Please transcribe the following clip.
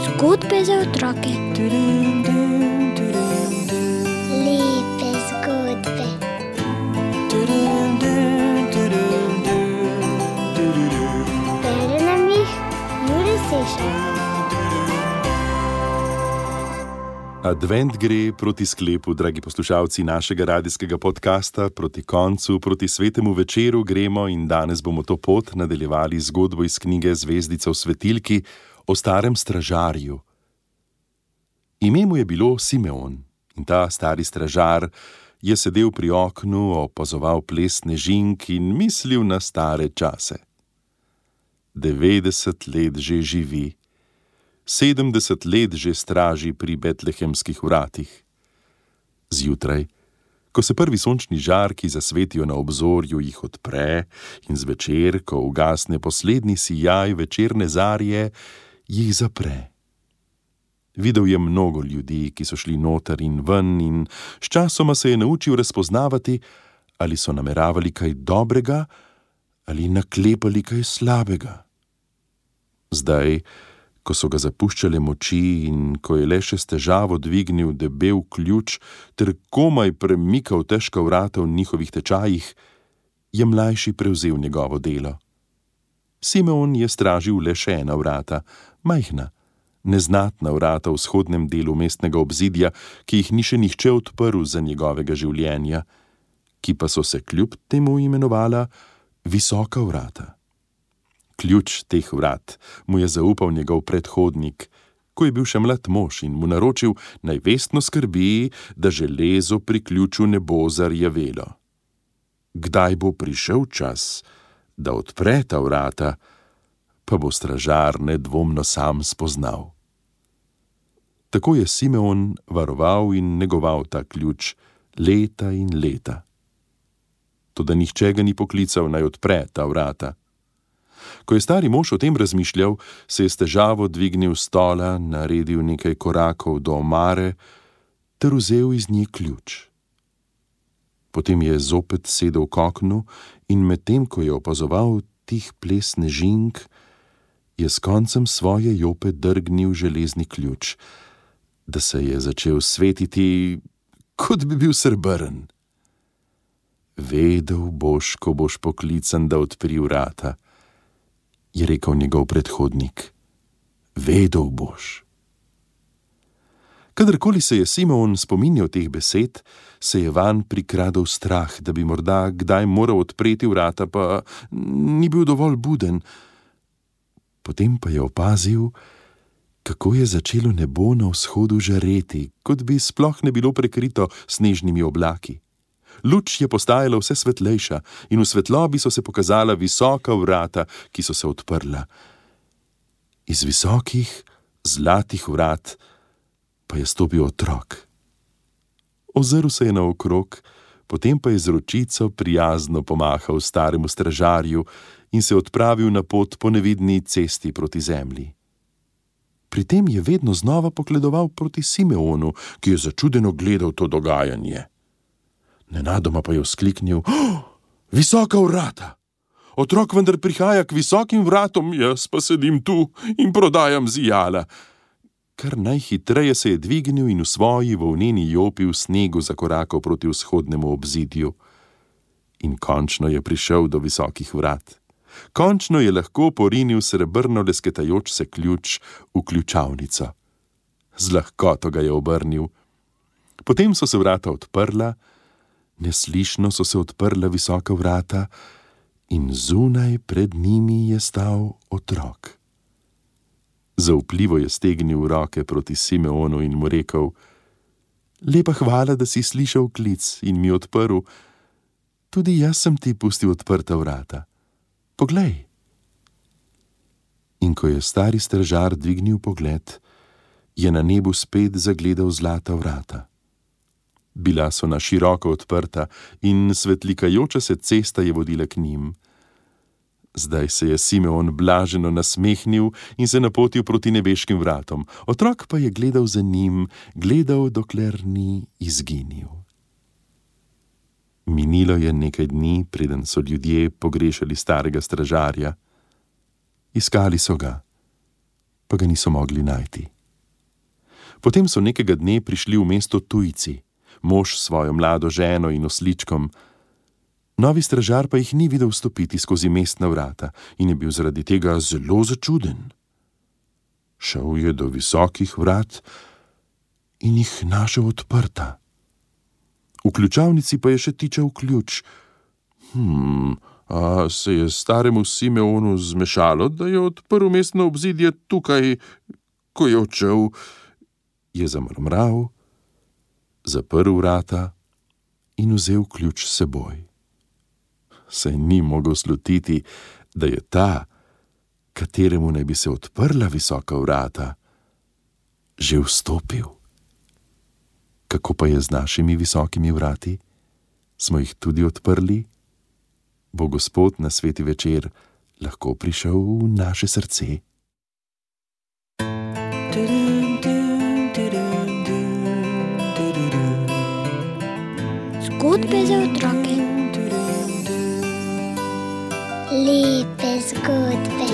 Zgodbe za otroke. Lepe zgodbe. Bere nam jih Jure Sešar. Advent gre proti sklepu, dragi poslušalci našega radijskega podcasta, proti koncu, proti svetemu večeru gremo in danes bomo to pot nadaljevali zgodbo iz knjige Zvezdica v svetilki o starem stražarju. Ime mu je bilo Simeon in ta stari stražar je sedel pri oknu, opazoval ples snežink in mislil na stare čase. 90 let že živi. 70 let že straži pri betlehemskih vratih. Zjutraj, ko se prvi sončni žarki zasvetijo na obzorju, jih odpre in zvečer, ko ugasne poslednji sijaj večerne zarje, jih zapre. Videl je mnogo ljudi, ki so šli noter in ven in sčasoma se je naučil razpoznavati, ali so nameravali kaj dobrega ali naklepali kaj slabega. Zdaj, ko so ga zapuščale moči in ko je le še s težavo dvignil debel ključ ter komaj premikal težka vrata v njihovih tečajih, je mlajši prevzel njegovo delo. Simeon je stražil le še ena vrata, majhna, neznatna vrata v vzhodnem delu mestnega obzidja, ki jih ni še nihče odprl za njegovega življenja, ki pa so se kljub temu imenovala Visoka vrata. Ključ teh vrat mu je zaupal njegov predhodnik, ko je bil še mlad mož in mu naročil, naj vestno skrbi, da železo pri ključu ne bo zarjavelo. Kdaj bo prišel čas, da odpre ta vrata, pa bo stražar nedvomno sam spoznal. Tako je Simeon varoval in negoval ta ključ leta in leta. Toda nihče ga ni poklical, naj odpre ta vrata. Ko je stari mož o tem razmišljal, se je s težavo dvignil s stola, naredil nekaj korakov do omare ter vzel iz nje ključ. Potem je zopet sedel k oknu in medtem, ko je opazoval tih ples snežink, je s koncem svoje jope drgnil železni ključ, da se je začel svetiti, kot bi bil srebrn. Vedel boš, ko boš poklican, da odpri vrata, je rekel njegov predhodnik. Vedel boš. Kadarkoli se je Simeon spominjal teh besed, se je vanj prikradel strah, da bi morda kdaj moral odpreti vrata, pa ni bil dovolj buden. Potem pa je opazil, kako je začelo nebo na vzhodu žareti, kot bi sploh ne bilo prekrito snežnimi oblaki. Luč je postajala vse svetlejša in v svetlobi so se pokazala visoka vrata, ki so se odprla. Iz visokih, zlatih vrat pa je stopil otrok. Ozrl se je naokrog, potem pa je z ročico prijazno pomahal staremu stražarju in se odpravil na pot po nevidni cesti proti zemlji. Pri tem je vedno znova pogledoval proti Simeonu, ki je začudeno gledal to dogajanje. Nenadoma pa je vzkliknil: Visoka vrata! Otrok vendar prihaja k visokim vratom, jaz pa sedim tu in prodajam zijala. Kar najhitreje se je dvignil in v svoji volneni jopi v snegu zakorakal proti vzhodnemu obzidju. In končno je prišel do visokih vrat. Končno je lahko porinil srebrno lesketajoč se ključ v ključavnico. Z lahkoto ga je obrnil. Potem so se vrata odprla, neslišno so se odprla visoka vrata in zunaj pred njimi je stal otrok. Zaupljivo je stegnil roke proti Simeonu in mu rekel: Lepa hvala, da si slišal klic in mi odprl. Tudi jaz sem ti pustil odprta vrata. Poglej. In ko je stari stražar dvignil pogled, je na nebu spet zagledal zlata vrata. Bila so na široko odprta in svetlikajoča se cesta je vodila k njim. Zdaj se je Simeon blaženo nasmehnil in se napotil proti nebeškim vratom. Otrok pa je gledal za njim, gledal, dokler ni izginil. Minilo je nekaj dni, preden so ljudje pogrešali starega stražarja. Iskali so ga, pa ga niso mogli najti. Potem so nekega dne prišli v mesto tujci, mož s svojo mlado ženo in osličkom. Novi stražar pa jih ni videl vstopiti skozi mestna vrata in je bil zaradi tega zelo začuden. Šel je do visokih vrat in jih našel odprta. V ključavnici pa je še tičal ključ. A se je staremu Simeonu zmešalo, da je odprl mestno obzidje tukaj, ko je odšel? Je zamrmral, zaprl vrata in vzel ključ s seboj. Se ni mogel slutiti, da je ta, kateremu naj bi se odprla visoka vrata, že vstopil. Kako pa je z našimi visokimi vrati? Smo jih tudi odprli? Bo Gospod na sveti večer lahko prišel v naše srce? Zgodbe za otroke. Lepe zgodbe.